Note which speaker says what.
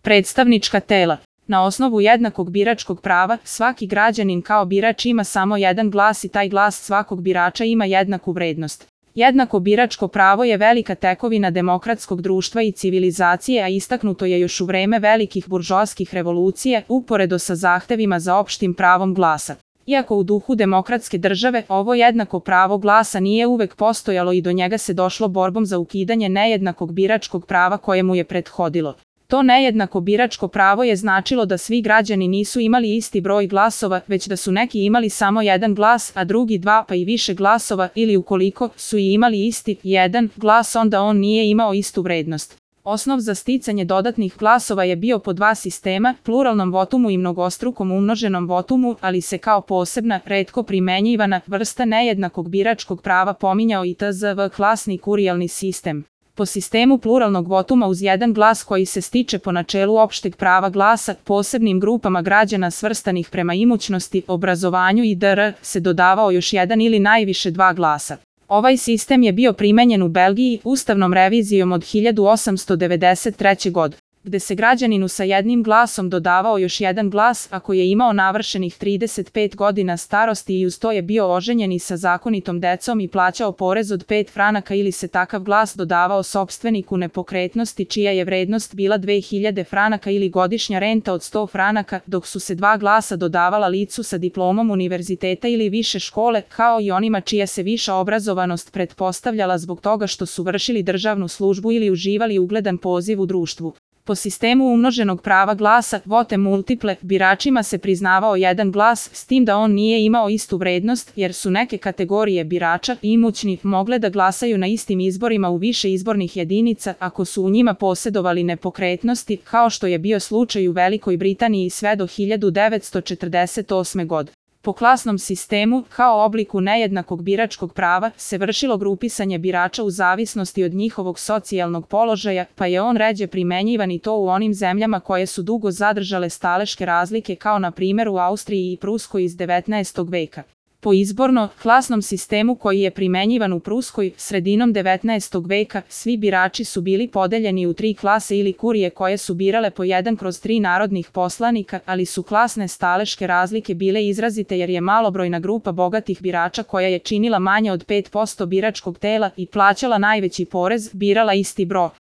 Speaker 1: Predstavnička tela. Na osnovu jednakog biračkog prava, svaki građanin kao birač ima samo jedan glas i taj glas svakog birača ima jednaku vrednost. Jednako biračko pravo je velika tekovina demokratskog društva i civilizacije, a istaknuto je još u vreme velikih buržoaskih revolucija, uporedo sa zahtevima za opštim pravom glasa. Iako u duhu demokratske države, ovo jednako pravo glasa nije uvek postojalo i do njega se došlo borbom za ukidanje nejednakog biračkog prava koje mu je prethodilo. To nejednako biračko pravo je značilo da svi građani nisu imali isti broj glasova, već da su neki imali samo jedan glas, a drugi dva pa i više glasova, ili ukoliko su i imali isti jedan glas, onda on nije imao istu vrednost. Osnov za sticanje dodatnih glasova je bio po dva sistema, pluralnom votumu i mnogostrukom umnoženom votumu, ali se kao posebna, retko primenjivana vrsta nejednakog biračkog prava pominjao i tzv. Klasni kurijalni sistem. Po sistemu pluralnog votuma uz jedan glas koji se stiče po načelu opšteg prava glasa, posebnim grupama građana svrstanih prema imućnosti, obrazovanju i dr. se dodavao još jedan ili najviše dva glasa. Ovaj sistem je bio primenjen u Belgiji ustavnom revizijom od 1893. godine, gde se građaninu sa jednim glasom dodavao još jedan glas ako je imao navršenih 35 godina starosti i uz to je bio oženjen i sa zakonitom decom i plaćao porez od 5 franaka ili se takav glas dodavao sopstveniku nepokretnosti čija je vrednost bila 2000 franaka ili godišnja renta od 100 franaka, dok su se dva glasa dodavala licu sa diplomom univerziteta ili više škole, kao i onima čija se viša obrazovanost pretpostavljala zbog toga što su vršili državnu službu ili uživali ugledan poziv u društvu. Po sistemu umnoženog prava glasa, vote multiple, biračima se priznavao jedan glas, s tim da on nije imao istu vrednost, jer su neke kategorije birača, imućni, mogle da glasaju na istim izborima u više izbornih jedinica ako su u njima posedovali nepokretnosti, kao što je bio slučaj u Velikoj Britaniji sve do 1948. godine. Po klasnom sistemu, kao obliku nejednakog biračkog prava, se vršilo grupisanje birača u zavisnosti od njihovog socijalnog položaja, pa je on ređe primenjivan i to u onim zemljama koje su dugo zadržale staleške razlike kao na primjer u Austriji i Pruskoj iz 19. veka. Po izborno-klasnom sistemu koji je primenjivan u Pruskoj sredinom 19. veka, svi birači su bili podeljeni u tri klase ili kurije koje su birale po 1/3 narodnih poslanika, ali su klasne staleške razlike bile izrazite jer je malobrojna grupa bogatih birača koja je činila manje od 5% biračkog tela i plaćala najveći porez, birala isti broj